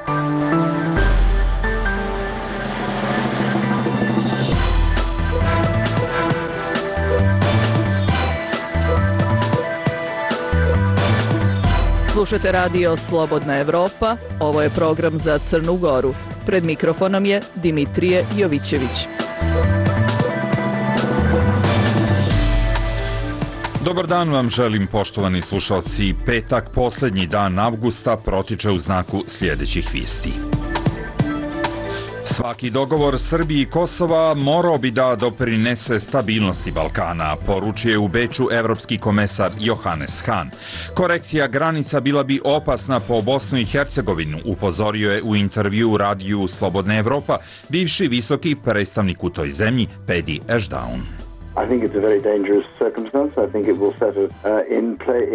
Slušajte radio Slobodna Evropa, ovo je program za Crnu Goru. Pred mikrofonom je Dimitrije Jovićević. Dobar dan vam želim, poštovani slušalci. Petak, posljednji dan avgusta, protiče u znaku sljedećih vijesti. Svaki dogovor Srbije i Kosova morao bi da doprinese stabilnosti Balkana, poručuje u Beču evropski komesar Johannes Hahn. Korekcija granica bila bi opasna po Bosnu i Hercegovinu, upozorio je u intervju radiju Slobodna Evropa bivši visoki predstavnik u toj zemlji Pedi Ešdaun.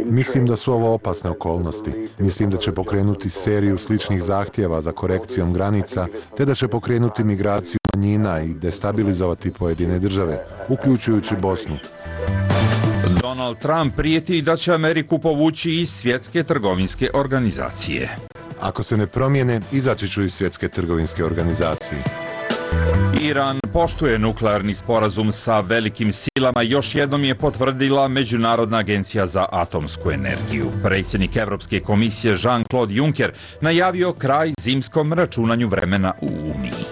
Mislim da su ovo opasne okolnosti. Mislim da će pokrenuti seriju sličnih zahtjeva za korekcijom granica, te da će pokrenuti migraciju manjina i destabilizovati pojedine države, uključujući Bosnu. Donald Trump prijeti da će Ameriku povući iz Svjetske trgovinske organizacije. Ako se ne promijene, izaći ću iz Svjetske trgovinske organizacije. Iran poštuje nuklearni sporazum sa velikim silama, još jednom je potvrdila Međunarodna agencija za atomsku energiju. Predsjednik Evropske komisije Jean-Claude Juncker najavio kraj zimskom računanju vremena u Uniji.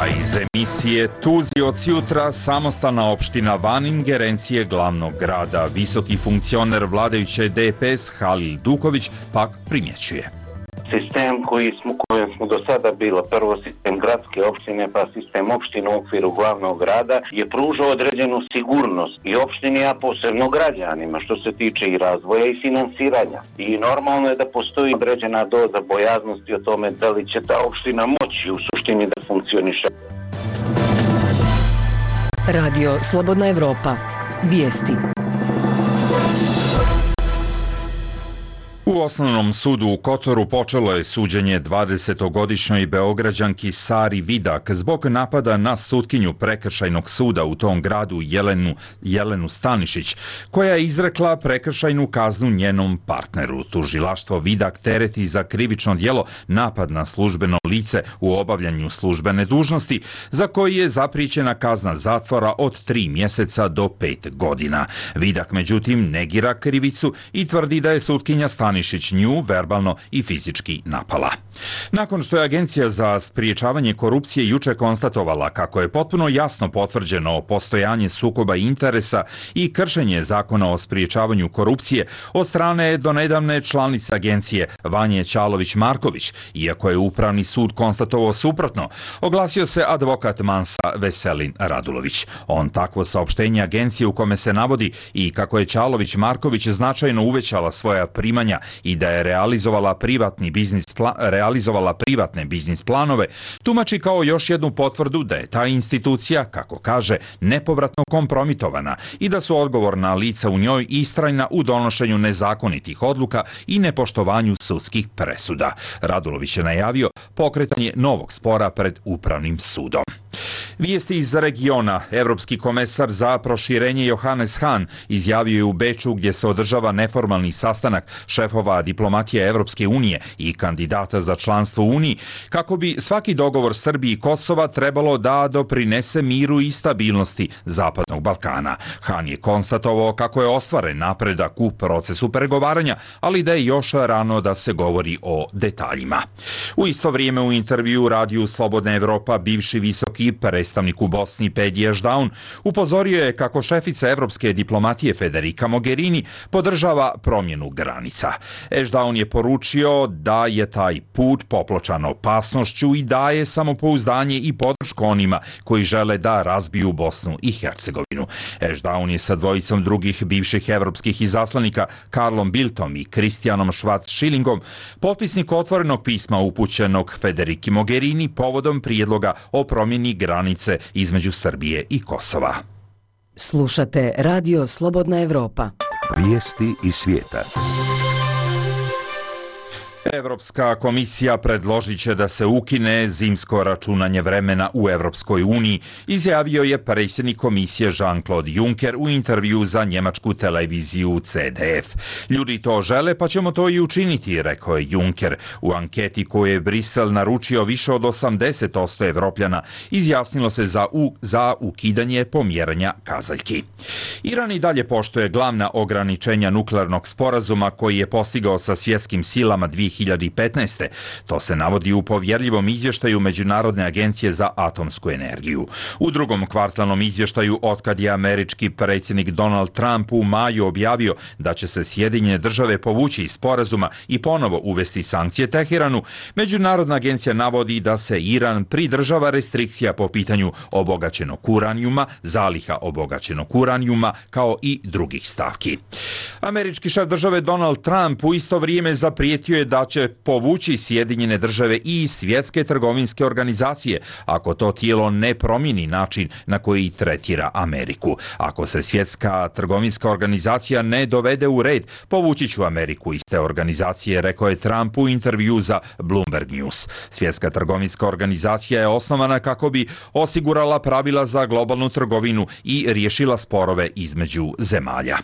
A iz emisije Tuzi od jutra, samostalna opština van ingerencije glavnog grada, visoki funkcioner vladajuće DPS Halil Duković pak primjećuje. Sistem kojem smo do sada bilo, prvo sistem gradske opštine pa sistem opštine u okviru glavnog grada, je pružao određenu sigurnost i opštini, a posebno građanima što se tiče i razvoja i finansiranja. I normalno je da postoji određena doza bojaznosti o tome da li će ta opština moći u suštini da funkcioniše. Radio Slobodna Evropa. Vijesti. U Osnovnom sudu u Kotoru počelo je suđenje 20-godišnjoj Beograđanki Sari Vidak zbog napada na sutkinju prekršajnog suda u tom gradu Jelenu Stanišić, koja je izrekla prekršajnu kaznu njenom partneru. Tužilaštvo Vidak tereti za krivično djelo napad na službeno lice u obavljanju službene dužnosti, za koji je zapriječena kazna zatvora od 3 mjeseca do 5 godina. Vidak međutim negira krivicu i tvrdi da je sutkinja Stanišić nju verbalno i fizički napala. Nakon što je Agencija za spriječavanje korupcije juče konstatovala kako je potpuno jasno potvrđeno postojanje sukoba interesa i kršenje zakona o spriječavanju korupcije od strane donedavne članice agencije Vanje Ćalović-Marković, iako je Upravni sud konstatovao suprotno, oglasio se advokat Mansa Veselin Radulović. On takvo saopštenje agencije u kome se navodi i kako je Ćalović-Marković značajno uvećala svoja primanja i da je realizovala privatne biznis planove, tumači kao još jednu potvrdu da je ta institucija, kako kaže, nepovratno kompromitovana i da su odgovorna lica u njoj istrajna u donošenju nezakonitih odluka i nepoštovanju sudskih presuda. Radulović je najavio pokretanje novog spora pred Upravnim sudom. Vijesti iz regiona. Evropski komesar za proširenje Johannes Hahn izjavio je u Beču, gdje se održava neformalni sastanak šefova diplomatije Evropske unije i kandidata za članstvo u Uniji, kako bi svaki dogovor Srbije i Kosova trebalo da doprinese miru i stabilnosti Zapadnog Balkana. Hahn je konstatovao kako je ostvaren napredak u procesu pregovaranja, ali da je još rano da se govori o detaljima. U isto vrijeme u intervju radiju Slobodna Evropa bivši visoki predstavnik u Bosni Pedi Ešdaun upozorio je kako šefica evropske diplomatije Federica Mogherini podržava promjenu granica. Ešdaun je poručio da je taj put popločan opasnošću i daje samopouzdanje i podršku onima koji žele da razbiju Bosnu i Hercegovinu. Ešdaun je sa dvojicom drugih bivših evropskih izaslanika Karlom Bildtom i Kristijanom Schwarz-Schillingom potpisnik otvorenog pisma upućenog Federici Mogherini povodom prijedloga o promjeni granice između Srbije i Kosova. Slušate Radio Slobodna Evropa. Vijesti iz svijeta. Evropska komisija predložit će da se ukine zimsko računanje vremena u Evropskoj uniji, izjavio je predsjednik komisije Jean-Claude Juncker u intervju za njemačku televiziju CDF. Ljudi to žele, pa ćemo to i učiniti, rekao je Juncker. U anketi koju je Brisel naručio, više od 80% Evropljana izjasnilo se za ukidanje pomjeranja kazaljki. Iran i dalje poštuje glavna ograničenja nuklearnog sporazuma koji je postigao sa svjetskim silama 2015. To se navodi u povjerljivom izvještaju Međunarodne agencije za atomsku energiju. U drugom kvartalnom izvještaju, otkad je američki predsjednik Donald Trump u maju objavio da će se Sjedinjene države povući iz sporazuma i ponovo uvesti sankcije Teheranu, Međunarodna agencija navodi da se Iran pridržava restrikcija po pitanju obogaćenog uranijuma, zaliha obogaćenog uranijuma, kao i drugih stavki. Američki šef države Donald Trump u isto vrijeme zaprijetio je da će povući Sjedinjene države i svjetske trgovinske organizacije ako to tijelo ne promijeni način na koji tretira Ameriku. Ako se svjetska trgovinska organizacija ne dovede u red, povući ću Ameriku iz te organizacije, rekao je Trump u intervju za Bloomberg News. Svjetska trgovinska organizacija je osnovana kako bi osigurala pravila za globalnu trgovinu i riješila sporove između zemalja.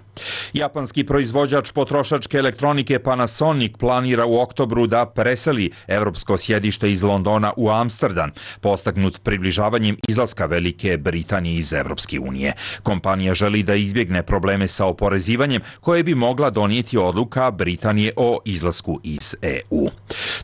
Japanski proizvođač potrošačke elektronike Panasonic planira u oktobru da preseli europsko sjedište iz Londona u Amsterdam, postagnut približavanjem izlaska Velike Britanije iz Evropske unije. Kompanija želi da izbjegne probleme sa oporezivanjem koje bi mogla donijeti odluka Britanije o izlasku iz EU.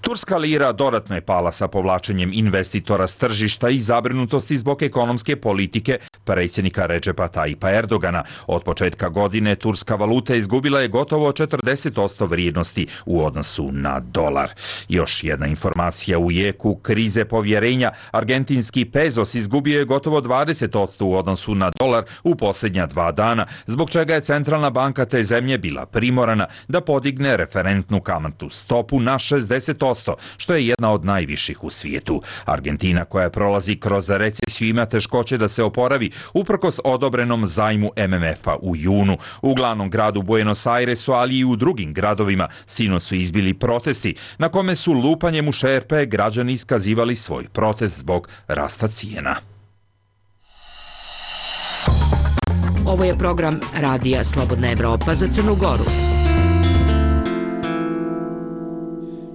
Turska lira dodatno je pala sa povlačenjem investitora s tržišta i zabrinutosti zbog ekonomske politike predsjednika Recepa Tayyipa Erdogana. Od početka godine turska valuta izgubila je gotovo 40% vrijednosti u odnosu na dolar. Još jedna informacija u jeku krize povjerenja. Argentinski pesos izgubio je gotovo 20% u odnosu na dolar u posljednja 2 dana, zbog čega je centralna banka te zemlje bila primorana da podigne referentnu kamatnu stopu na 60%, što je jedna od najviših u svijetu. Argentina, koja prolazi kroz recesiju, ima teškoće da se oporavi uprkos odobrenom zajmu MMF-a u junu. U glavnom gradu Buenos Airesu, ali i u drugim gradovima, sinoć su izbili protesti na kome su lupanjem u šerpe građani iskazivali svoj protest zbog rasta cijena. Ovo je program Radija Slobodna Evropa za Crnu Goru.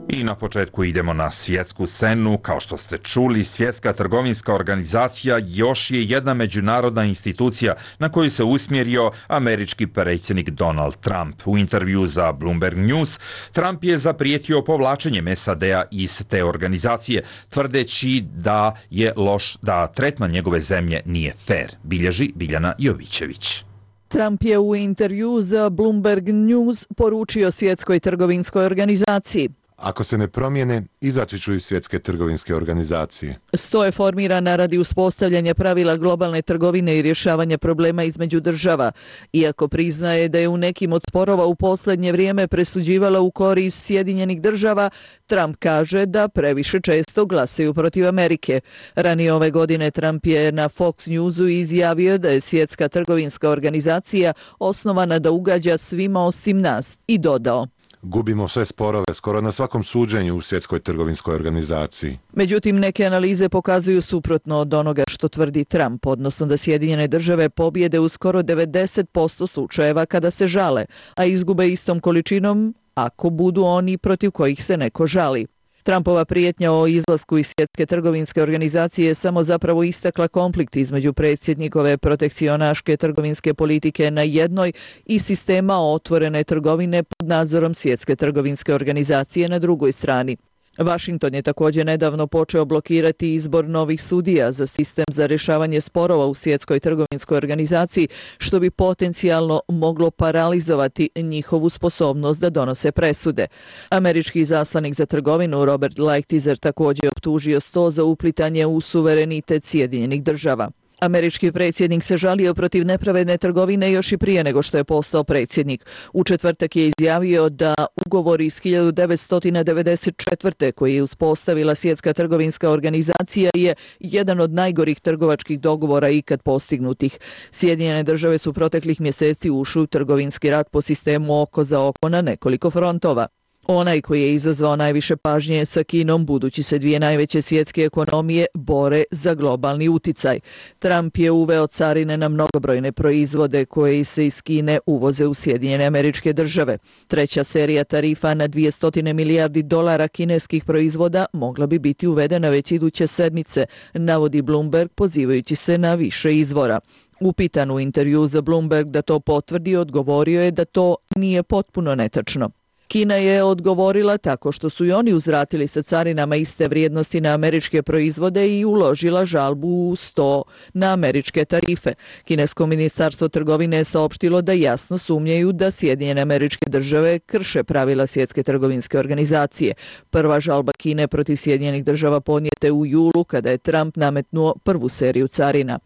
I na početku idemo na svjetsku scenu. Kao što ste čuli, Svjetska trgovinska organizacija još je jedna međunarodna institucija na koju se usmjerio američki predsjednik Donald Trump. U intervju za Bloomberg News, Trump je zaprijetio povlačenjem SAD-a iz te organizacije, tvrdeći da je loš, da tretman njegove zemlje nije fair, bilježi Biljana Jovićević. Trump je u intervju za Bloomberg News poručio Svjetskoj trgovinskoj organizaciji: ako se ne promijene, izaći ću iz Svjetske trgovinske organizacije. Sto je formirana radi uspostavljanja pravila globalne trgovine i rješavanja problema između država. Iako priznaje da je u nekim od sporova u posljednje vrijeme presuđivala u korist Sjedinjenih država, Trump kaže da previše često glasaju protiv Amerike. Ranije ove godine Trump je na Fox Newsu izjavio da je Svjetska trgovinska organizacija osnovana da ugađa svima osim nas i dodao: gubimo sve sporove skoro na svakom suđenju u Svjetskoj trgovinskoj organizaciji. Međutim, neke analize pokazuju suprotno od onoga što tvrdi Trump, odnosno da Sjedinjene države pobjede u skoro 90% slučajeva kada se žale, a izgube istom količinom ako budu oni protiv kojih se neko žali. Trumpova prijetnja o izlasku iz Svjetske trgovinske organizacije je samo zapravo istakla konflikt između predsjednikove protekcionaške trgovinske politike na jednoj i sistema otvorene trgovine pod nadzorom Svjetske trgovinske organizacije na drugoj strani. Washington je također nedavno počeo blokirati izbor novih sudija za sistem za rješavanje sporova u Svjetskoj trgovinskoj organizaciji, što bi potencijalno moglo paralizovati njihovu sposobnost da donose presude. Američki izaslanik za trgovinu Robert Lighthizer također je optužio sto za uplitanje u suverenitet Sjedinjenih država. Američki predsjednik se žalio protiv nepravedne trgovine još i prije nego što je postao predsjednik. U četvrtak je izjavio da ugovor iz 1994. koji je uspostavila Svjetska trgovinska organizacija je jedan od najgorih trgovačkih dogovora ikad postignutih. Sjedinjene države su proteklih mjeseci ušli u trgovinski rat po sistemu oko za oko na nekoliko frontova. Onaj koji je izazvao najviše pažnje je sa Kinom, budući se dvije najveće svjetske ekonomije bore za globalni uticaj. Trump je uveo carine na mnogobrojne proizvode koje se iz Kine uvoze u Sjedinjene Američke Države. Treća serija tarifa na $200 milijardi kineskih proizvoda mogla bi biti uvedena već iduće sedmice, navodi Bloomberg pozivajući se na više izvora. Upitan u intervju za Bloomberg da to potvrdi, odgovorio je da to nije potpuno netačno. Kina je odgovorila tako što su i oni uzvratili sa carinama iste vrijednosti na američke proizvode i uložila žalbu u 100 na američke tarife. Kinesko ministarstvo trgovine je saopštilo da jasno sumnjaju da Sjedinjene Američke Države krše pravila Svjetske trgovinske organizacije. Prva žalba Kine protiv Sjedinjenih Država podnijeta je u julu kada je Trump nametnuo prvu seriju carina.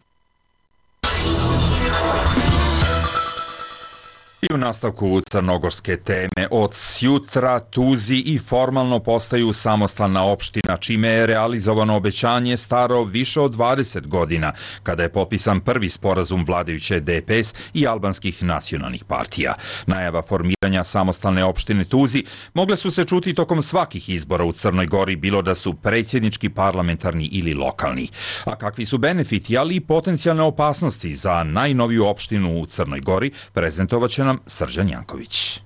I u nastavku crnogorske teme, od sjutra Tuzi i formalno postaju samostalna opština, čime je realizovano obećanje staro više od 20 godina, kada je potpisan prvi sporazum vladajuće DPS i albanskih nacionalnih partija. Najava formiranja samostalne opštine Tuzi mogle su se čuti tokom svakih izbora u Crnoj Gori, bilo da su predsjednički, parlamentarni ili lokalni. A kakvi su benefiti, ali i potencijalne opasnosti za najnoviju opštinu u Crnoj Gori, prezentovat će nam Srđan Janković.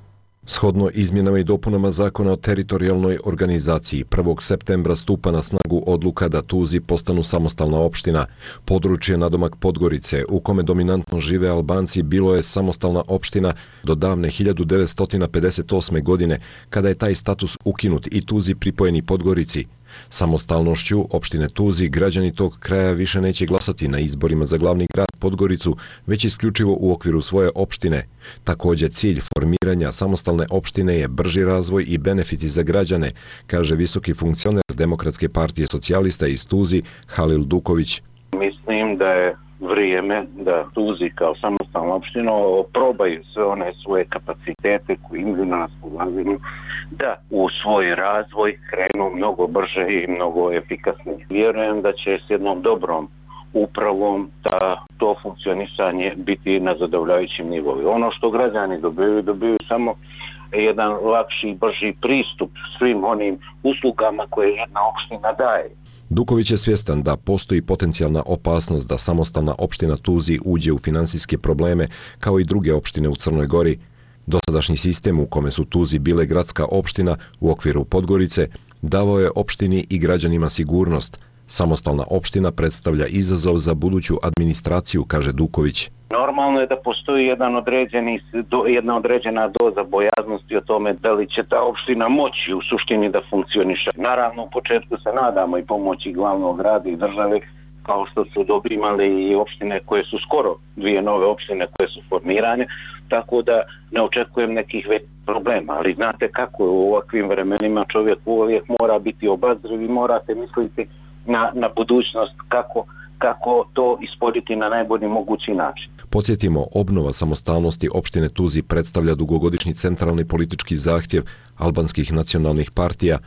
Shodno izmjenama i dopunama zakona o teritorijalnoj organizaciji, 1. septembra stupa na snagu odluka da Tuzi postanu samostalna opština. Područje nadomak Podgorice, u kome dominantno žive Albanci, bilo je samostalna opština do davne 1958. godine, kada je taj status ukinut i Tuzi pripojeni Podgorici. Samostalnošću opštine Tuzi građani tog kraja više neće glasati na izborima za glavni grad Podgoricu, već isključivo u okviru svoje opštine. Također cilj formiranja samostalne opštine je brži razvoj i benefiti za građane, kaže visoki funkcioner Demokratske partije socijalista iz Tuzi Halil Duković. Mislim da je vrijeme da Tuzi kao samostalna opština probaju sve one svoje kapacitete koje imaju na raspolaganju da u svoj razvoj krenu mnogo brže i mnogo efikasnije. Vjerujem da će s jednom dobrom upravom da to funkcionisanje biti na zadovoljavajućim nivou. Ono što građani dobiju samo jedan lakši i brži pristup svim onim uslugama koje jedna opština daje. Duković je svjestan da postoji potencijalna opasnost da samostalna opština Tuzi uđe u finansijske probleme kao i druge opštine u Crnoj Gori. Dosadašnji sistem u kome su Tuzi bile gradska opština u okviru Podgorice davao je opštini i građanima sigurnost. Samostalna opština predstavlja izazov za buduću administraciju, kaže Duković. Normalno je da postoji jedna određena doza bojaznosti o tome da li će ta opština moći u suštini da funkcioniše. Naravno, u početku se nadamo i pomoći glavnog grada i države, kao što su dobri imali i opštine koje su skoro, dvije nove opštine koje su formirane, tako da ne očekujem nekih većih problema. Ali znate kako je u ovakvim vremenima, čovjek uvijek mora biti obazriv i morate misliti na budućnost kako to ispoditi na najbolji mogući način. Podsjetimo, obnova samostalnosti opštine Tuzi predstavlja dugogodišnji centralni politički zahtjev albanskih nacionalnih partija.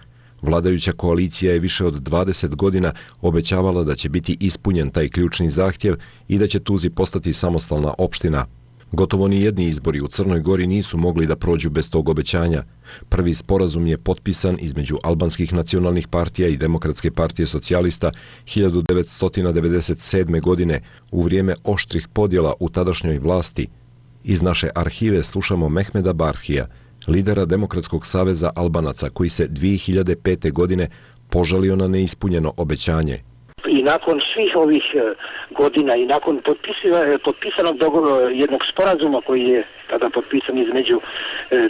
Vladajuća koalicija je više od 20 godina obećavala da će biti ispunjen taj ključni zahtjev i da će Tuzi postati samostalna opština. Gotovo ni jedni izbori u Crnoj Gori nisu mogli da prođu bez tog obećanja. Prvi sporazum je potpisan između albanskih nacionalnih partija i Demokratske partije socijalista 1997. godine u vrijeme oštrih podjela u tadašnjoj vlasti. Iz naše arhive slušamo Mehmeda Barhija, lidera Demokratskog saveza Albanaca, koji se 2005. godine požalio na neispunjeno obećanje. I nakon svih ovih godina i nakon potpisanog dogovora jednog sporazuma koji je tada potpisan između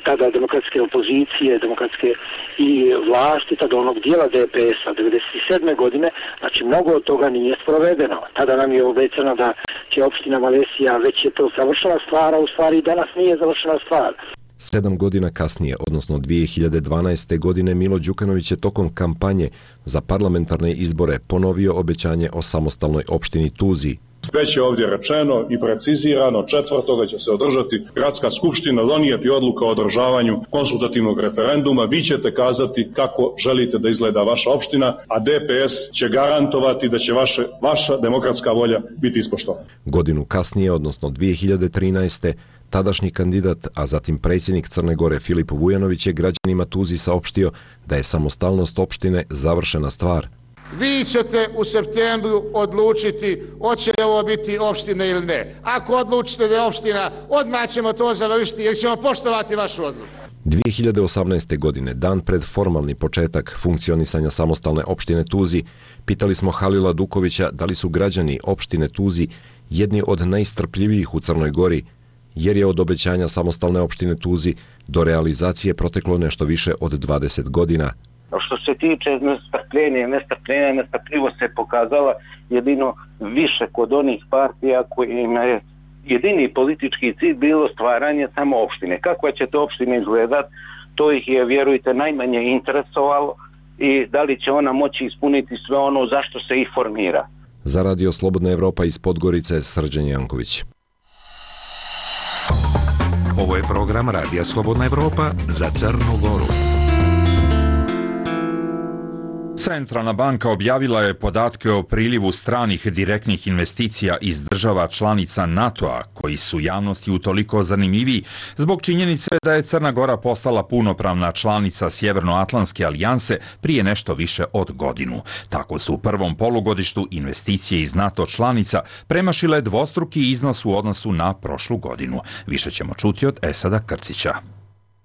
tada demokratske opozicije, demokratske i vlasti, tada onog dijela DPS-a 1997. godine, znači mnogo od toga nije sprovedeno. Tada nam je obećano da će opština Malesija, već je to završena stvar, a u stvari danas nije završena stvar. 7 godina kasnije, odnosno 2012. godine, Milo Đukanović je tokom kampanje za parlamentarne izbore ponovio obećanje o samostalnoj opštini Tuzi. Već je ovdje rečeno i precizirano, 4. će se održati gradska skupština, donijeti odluka o održavanju konsultativnog referenduma. Vi ćete kazati kako želite da izgleda vaša opština, a DPS će garantovati da će vaša demokratska volja biti ispoštovana. Godinu kasnije, odnosno 2013. tadašnji kandidat, a zatim predsjednik Crne Gore Filip Vujanović je građanima Tuzli saopštio da je samostalnost opštine završena stvar. Vi ćete u septembru odlučiti hoće li ovo biti opština ili ne. Ako odlučite da je opština, odmah ćemo to završiti jer ćemo poštovati vašu odluku. 2018. godine, dan pred formalni početak funkcionisanja samostalne opštine Tuzi, pitali smo Halila Dukovića da li su građani opštine Tuzi jedni od najstrpljivijih u Crnoj Gori, jer je od obećanja samostalne opštine Tuzi do realizacije proteklo nešto više od 20 godina. Što se tiče nestrpljivost se pokazala jedino više kod onih partija kojima je jedini politički cilj bilo stvaranje samo opštine. Kakva će to opština izgledati, to ih je, vjerujte, najmanje interesovalo i da li će ona moći ispuniti sve ono zašto se ih formira. Za Radio Slobodna Evropa iz Podgorice, Srđan Janković. Ovo je program Radija Slobodna Evropa za Crnu Goru. Centralna banka objavila je podatke o prilivu stranih direktnih investicija iz država članica NATO-a, koji su javnosti utoliko zanimljiviji zbog činjenice da je Crna Gora postala punopravna članica Sjevernoatlantske alijanse prije nešto više od godinu. Tako su u prvom polugodištu investicije iz NATO članica premašile dvostruki iznos u odnosu na prošlu godinu. Više ćemo čuti od Esada Krcića.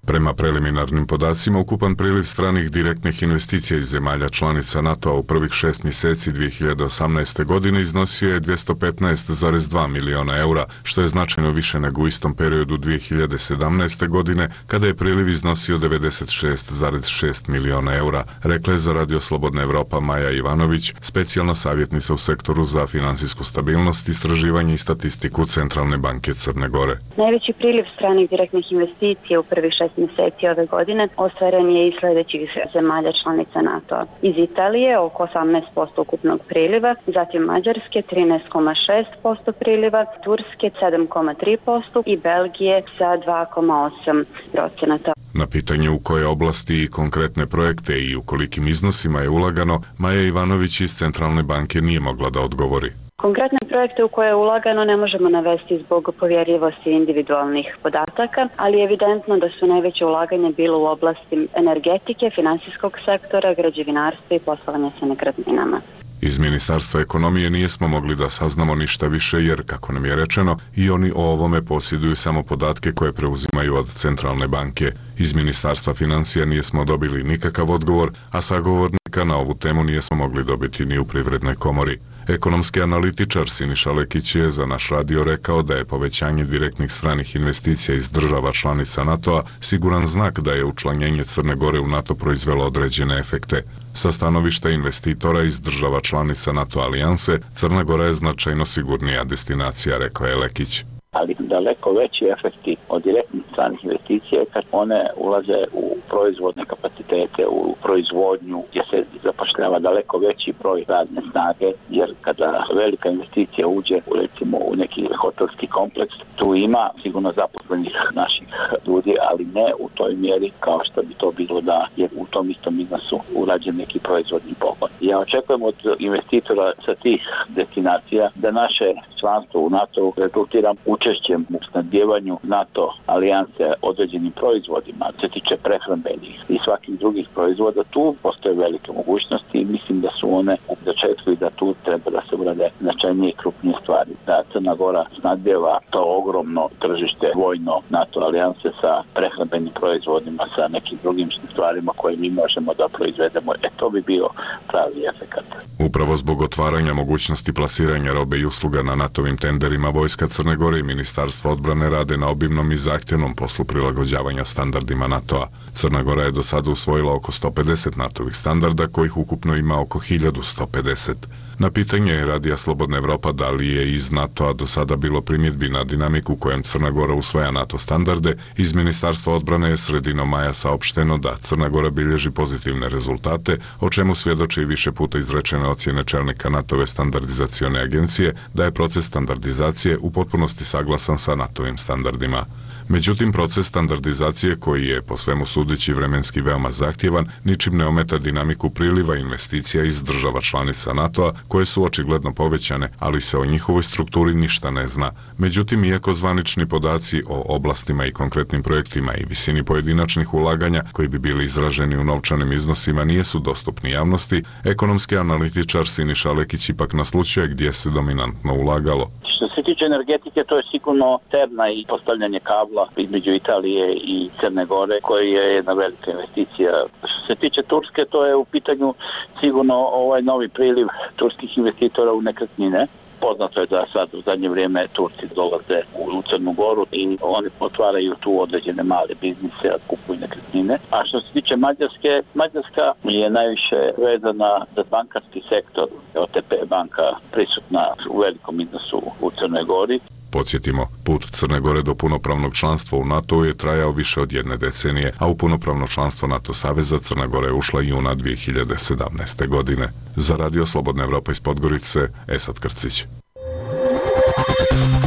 Prema preliminarnim podacima, ukupan priliv stranih direktnih investicija iz zemalja članica NATO-a u prvih 6 mjeseci 2018. godine iznosio je 215,2 miliona eura, što je značajno više nego u istom periodu 2017. godine, kada je priliv iznosio 96,6 miliona eura, rekla je za Radio Slobodna Evropa Maja Ivanović, specijalna savjetnica u sektoru za finansijsku stabilnost, istraživanje i statistiku Centralne banke Crne Gore. Najveći priliv stranih direktnih investicija u prvih 6 mjeseci ove godine ostvaren je iz sljedećih zemalja članica NATO-a. Iz Italije oko 18% ukupnog priliva, zatim Mađarske 13,6% priliva, Turske 7,3% i Belgije sa 2,8%. Na pitanje u koje oblasti i konkretne projekte i u kolikim iznosima je ulagano, Maja Ivanović iz Centralne banke nije mogla da odgovori. Konkretne projekte u koje je ulagano ne možemo navesti zbog povjerljivosti individualnih podataka, ali je evidentno da su najveće ulaganje bilo u oblasti energetike, finansijskog sektora, građevinarstva i poslovanja sa nekretninama. Iz Ministarstva ekonomije nijesmo mogli da saznamo ništa više jer, kako nam je rečeno, i oni o ovome posjeduju samo podatke koje preuzimaju od Centralne banke. Iz Ministarstva financija nijesmo dobili nikakav odgovor, a sagovornika na ovu temu nijesmo mogli dobiti ni u Privrednoj komori. Ekonomski analitičar Siniša Lekić je za naš radio rekao da je povećanje direktnih stranih investicija iz država članica NATO-a siguran znak da je učlanjenje Crne Gore u NATO proizvelo određene efekte. Sa stanovišta investitora iz država članica NATO alijanse, Crna Gora je značajno sigurnija destinacija, rekao je Lekić. Ali daleko veći efekti od direktnih stranih investicija kad one ulaze u proizvodne kapacitete, u proizvodnju gdje se zapošljava daleko veći broj radne snage, jer kada velika investicija uđe recimo u neki hotelski kompleks, tu ima sigurno zaposlenih naših ljudi, ali ne u toj mjeri kao što bi to bilo da je u tom istom iznosu urađen neki proizvodni pogon. Ja očekujem od investitora sa tih destinacija da naše članstvo u NATO rezultira učešćem u snabdijevanju NATO alijanse određenim proizvodima, se tiče prehrambenih i svakih drugih proizvoda, tu postoje velike mogućnosti i mislim da su one u začetku i da tu treba da se urade značajnije i krupnije stvari. Da Crna Gora snabdijeva to ogromno tržište vojno NATO alijanse sa prehrambenim proizvodima, sa nekim drugim stvarima koje mi možemo da proizvedemo. To bi bio pravi efekat. Upravo zbog otvaranja mogućnosti plasiranja robe i usluga na NATO-vim tenderima, Vojska Crne Gore i Ministarstvo odbrane rade na obimnom i zahtjevnom poslu prilagođavanja standardima NATO-a. Crna Gora je do sada usvojila oko 150 NATO-vih standarda, kojih ukupno ima oko 1150. Na pitanje Radija Slobodna Evropa da li je iz NATO-a do sada bilo primjedbi na dinamiku kojem Crna Gora usvaja NATO standarde, iz Ministarstva odbrane je sredinom maja saopšteno da Crna Gora bilježi pozitivne rezultate, o čemu svjedoči i više puta izrečene ocjene čelnika NATO-ve standardizacione agencije da je proces standardizacije u potpunosti saglasan sa NATO-vim standardima. Međutim, proces standardizacije, koji je po svemu sudeći vremenski veoma zahtjevan, ničim ne ometa dinamiku priliva investicija iz država članica NATO-a, koje su očigledno povećane, ali se o njihovoj strukturi ništa ne zna. Međutim, iako zvanični podaci o oblastima i konkretnim projektima i visini pojedinačnih ulaganja, koji bi bili izraženi u novčanim iznosima, nijesu dostupni javnosti, ekonomski analitičar Siniša Lekić ipak naslućuje gdje se dominantno ulagalo. Što se tiče energetike, to je sigurno terna i postavljanje kabla između Italije i Crne Gore, koja je jedna velika investicija. Što se tiče Turske, to je u pitanju sigurno ovaj novi priliv turskih investitora u nekretnine. Poznato je da sad u zadnje vrijeme Turci dolaze u Crnu Goru i oni otvaraju tu određene male biznise, kupuju nekretnine. A što se tiče Mađarske, Mađarska je najviše vezana za bankarski sektor. OTP banka prisutna u velikom iznosu u Crnoj Gori. Podsjetimo, put Crne Gore do punopravnog članstva u NATO je trajao više od jedne decenije, a u punopravno članstvo NATO saveza Crna Gora je ušla juna 2017. godine. Za Radio Slobodna Evropa iz Podgorice, Esad Krcić.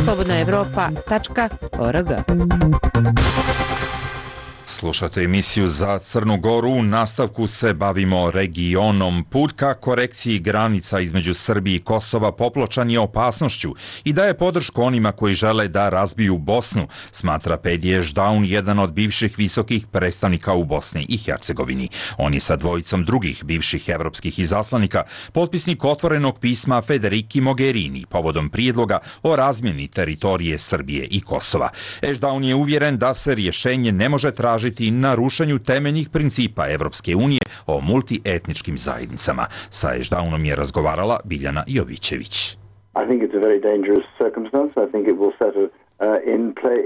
slobodnaevropa.org. Slušate emisiju Za Crnu Goru. U nastavku se bavimo regionom. Put ka korekciji granica između Srbije i Kosova popločan je opasnošću i daje podršku onima koji žele da razbiju Bosnu, smatra Pedije Ždaun, jedan od bivših visokih predstavnika u Bosni i Hercegovini. On je sa dvojicom drugih bivših evropskih izaslanika potpisnik otvorenog pisma Federiki Mogherini povodom prijedloga o razmjeni teritorije Srbije i Kosova. Ždaun je uvjeren da se rješenje ne može tražiti na rušenju temeljnih principa Evropske unije o multietničkim zajednicama. Sa Ždaunom je razgovarala Biljana Jovićević.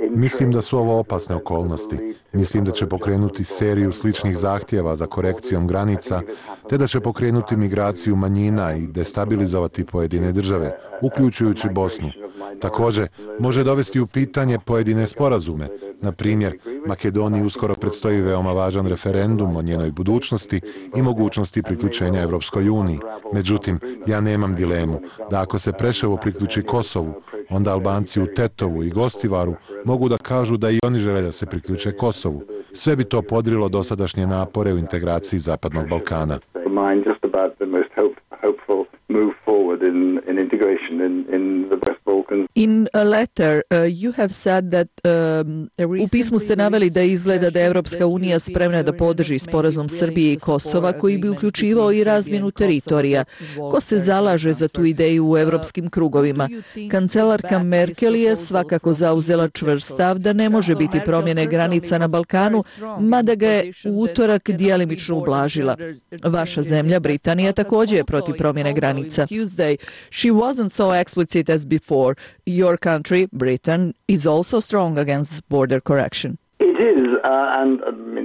Mislim da su ovo opasne okolnosti. Mislim da će pokrenuti seriju sličnih zahtjeva za korekcijom granica, te da će pokrenuti migraciju manjina i destabilizovati pojedine države, uključujući Bosnu. Također, može dovesti u pitanje pojedine sporazume. Na primjer, Makedoniji uskoro predstoji veoma važan referendum o njenoj budućnosti i mogućnosti priključenja Evropskoj uniji. Međutim, ja nemam dilemu da ako se Preševo priključi Kosovu, onda Albanci u Tetovu i Gostivaru mogu da kažu da i oni žele da se priključe Kosovu. Sve bi to podrilo dosadašnje napore u integraciji Zapadnog Balkana. In a letter, you have said that u pismu ste naveli da izgleda da je Evropska unija spremna da podrži sporazum Srbije i Kosova koji bi uključivao i razmjenu teritorija. Ko se zalaže za tu ideju u evropskim krugovima? Kancelarka Merkel je svakako zauzela čvrst stav da ne može biti promjene granica na Balkanu, mada ga je u utorak djelimično ublažila. Vaša zemlja, Britanija, također je protiv promjene granica. She wasn't so explicit as before. Your country, Britain, is also strong against border correction.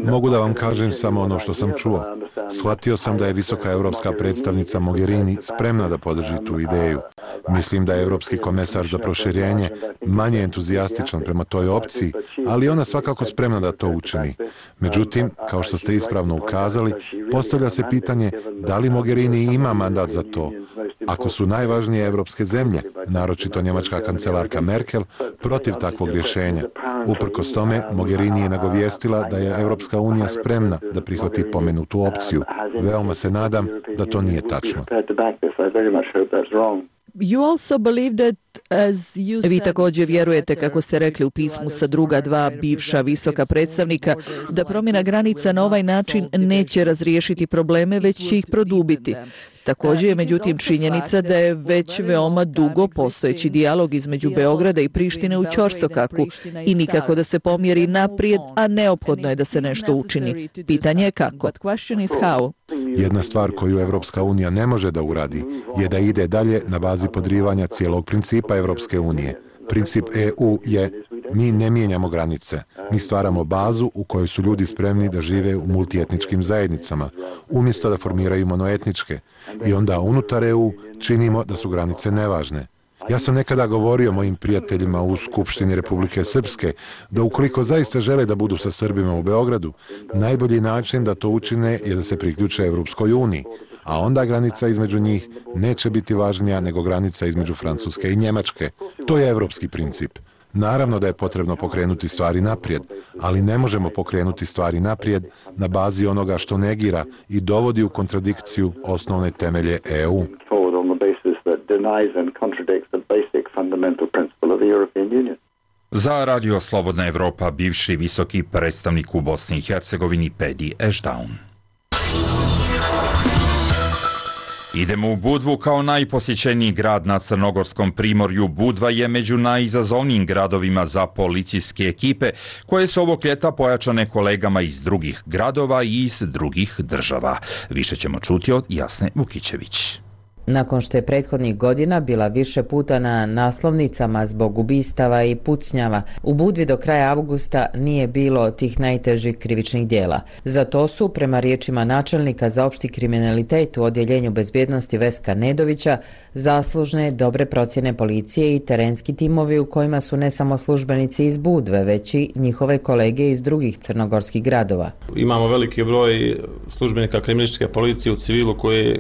Mogu da vam kažem samo ono što sam čuo. Shvatio sam da je visoka evropska predstavnica Mogherini spremna da podrži tu ideju. Mislim da je evropski komesar za proširenje manje entuzijastičan prema toj opciji, ali ona svakako spremna da to učini. Međutim, kao što ste ispravno ukazali, postavlja se pitanje da li Mogherini ima mandat za to. Ako su najvažnije evropske zemlje, naročito njemačka kancelarka Merkel, protiv takvog rješenja. Uprkos tome, Mogherini je nagovijestila da je Evropska unija spremna da prihvati pomenutu opciju. Veoma se nadam da to nije tačno. Vi također vjerujete, kako ste rekli u pismu sa druga dva bivša visoka predstavnika, da promjena granica na ovaj način neće razriješiti probleme, već će ih produbiti. Također je međutim činjenica da je već veoma dugo postojeći dijalog između Beograda i Prištine u ćorsokaku i nikako da se pomjeri naprijed, a neophodno je da se nešto učini. Pitanje je kako. Jedna stvar koju Evropska unija ne može da uradi je da ide dalje na bazi podrivanja cijelog principa Evropske unije. Princip EU je Mi ne mijenjamo granice. Mi stvaramo bazu u kojoj su ljudi spremni da žive u multietničkim zajednicama, umjesto da formiraju monoetničke. I onda unutar EU činimo da su granice nevažne. Ja sam nekada govorio mojim prijateljima u Skupštini Republike Srpske da ukoliko zaista žele da budu sa Srbima u Beogradu, najbolji način da to učine je da se priključe Evropskoj uniji, a onda granica između njih neće biti važnija nego granica između Francuske i Njemačke. To je evropski princip. Naravno da je potrebno pokrenuti stvari naprijed, ali ne možemo pokrenuti stvari naprijed na bazi onoga što negira i dovodi u kontradikciju osnovne temelje EU. Za Radio Slobodna Evropa bivši visoki predstavnik u Bosni i Hercegovini Pedi Ešdaun. Idemo u Budvu kao najposjećeniji grad na Crnogorskom primorju. Budva je među najizazovnijim gradovima za policijske ekipe koje su ovog ljeta pojačane kolegama iz drugih gradova i iz drugih država. Više ćemo čuti od Jasne Vukićević. Nakon što je prethodnih godina bila više puta na naslovnicama zbog ubistava i pucnjava, u Budvi do kraja avgusta nije bilo tih najtežih krivičnih dijela. Za to su, prema riječima načelnika za opšti kriminalitet u Odjeljenju bezbjednosti Veska Nedovića, zaslužne dobre procjene policije i terenski timovi u kojima su ne samo službenici iz Budve, već i njihove kolege iz drugih crnogorskih gradova. Imamo veliki broj službenika kriminalističke policije u civilu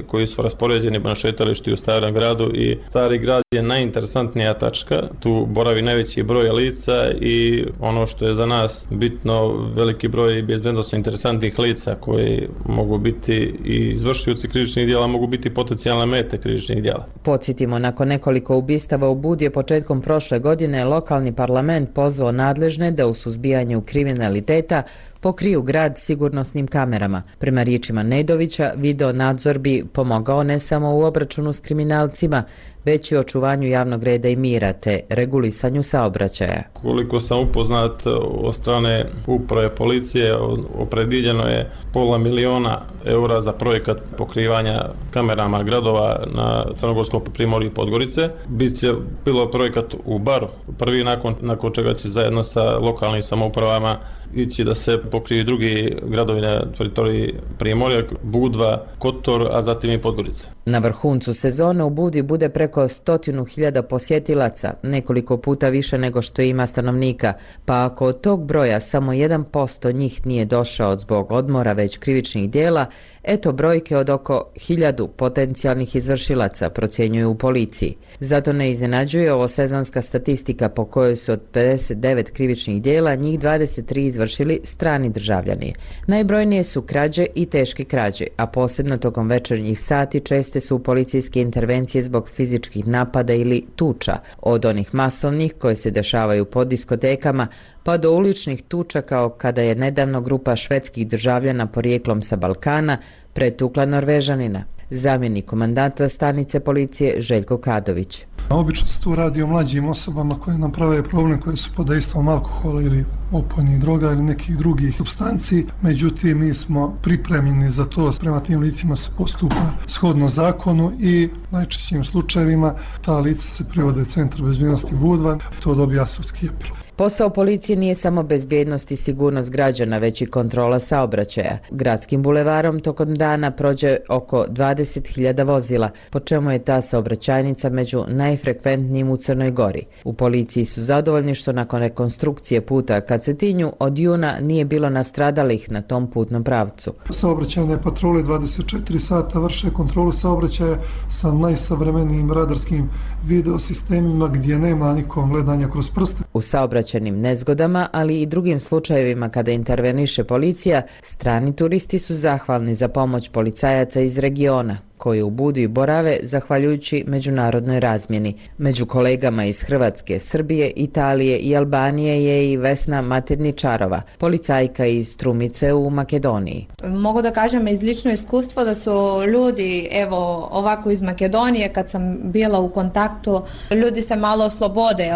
koji su raspoređeni na šetališti u Starom gradu i Stari grad je najinteresantnija tačka. Tu boravi najveći broj lica i ono što je za nas bitno, veliki broj bezbednosno interesantnih lica koji mogu biti i izvršioci krivičnih djela, mogu biti potencijalne mete krivičnih djela. Podsjetimo, nakon nekoliko ubistava u Budvi je početkom prošle godine lokalni parlament pozvao nadležne da u suzbijanju kriminaliteta pokriju grad sigurnosnim kamerama. Prema riječima Nedovića, video nadzor bi pomogao ne samo u obračunu s kriminalcima, već i očuvanju javnog reda i mira te regulisanju saobraćaja. Koliko sam upoznat od strane uprave policije, opredjeljeno je €500.000 za projekat pokrivanja kamerama gradova na Crnogorskom primorju i Podgorice. Biće bilo projekat u Baru, prvi nakon čega će zajedno sa lokalnim samoupravama ići da se pokriju drugi gradovi na teritoriji Primorja, Budva, Kotor, a zatim i Podgorica. Na vrhuncu sezone u Budvi bude preko 100.000 posjetilaca, nekoliko puta više nego što ima stanovnika, pa ako od tog broja samo 1% njih nije došao zbog odmora već krivičnih dijela, eto brojke od oko 1.000 potencijalnih izvršilaca, procjenjuju u policiji. Zato ne iznenađuje ovo sezonska statistika po kojoj su od 59 krivičnih dijela njih 23 izvršili strani državljani. Najbrojnije su krađe i teške krađe, a posebno tokom večernjih sati česte su policijske intervencije zbog fizičkih napada ili tuča, od onih masovnih koje se dešavaju po diskotekama, pa do uličnih tuča kao kada je nedavno grupa švedskih državljana porijeklom sa Balkana pretukla Norvežanina. Zamjenik komandanta stanice policije Željko Kadović. Obično se tu radi o mlađim osobama koje nam prave problem, koje su pod dejstvom alkohola ili opojnih droga ili nekih drugih supstanci. Međutim, mi smo pripremljeni za to. Prema tim licima se postupa shodno zakonu i najčešćim slučajevima ta lica se privode u Centar bezbjednosti Budva. To dobija sudski epilog. Posao policije nije samo bezbjednost i sigurnost građana, već i kontrola saobraćaja. Gradskim bulevarom tokom dana prođe oko 20.000 vozila, po čemu je ta saobraćajnica među najfrekventnijim u Crnoj Gori. U policiji su zadovoljni što nakon rekonstrukcije puta ka Cetinju od juna nije bilo nastradalih na tom putnom pravcu. Saobraćajne patrole 24 sata vrše kontrolu saobraćaja sa najsavremenijim radarskim videosistemima gdje nema nikom gledanja kroz prste. U saobraćajnim nezgodama, ali i drugim slučajevima kada interveniše policija, strani turisti su zahvalni za pomoć policajaca iz regiona, koji u Budvi borave zahvaljujući međunarodnoj razmjeni. Među kolegama iz Hrvatske, Srbije, Italije i Albanije je i Vesna Materničarova, policajka iz Strumice u Makedoniji. Mogu da kažem iz lično iskustvo da su ljudi, evo ovako iz Makedonije, kad sam bila u kontaktu, ljudi se malo oslobode.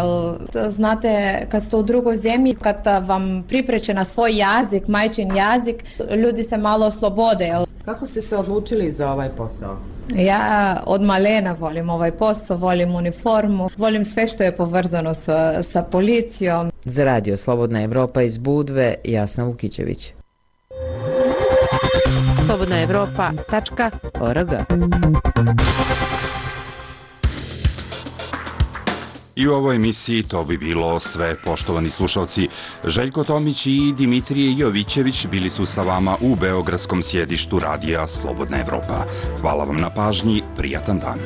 Znate, kad ste u drugoj zemlji, kad vam pripreče na svoj jezik, majčin jezik, ljudi se malo oslobode. Kako ste se odlučili za ovaj posao? Ja od malena volim ovaj posao, volim uniformu, volim sve što je povezano sa policijom. Za Radio Slobodna Evropa iz Budve, Jasna Vukićević. slobodnaevropa.org. I u ovoj emisiji to bi bilo sve, poštovani slušalci. Željko Tomić i Dimitrije Jovićević bili su sa vama u beogradskom sjedištu Radija Slobodna Evropa. Hvala vam na pažnji, prijatan dan.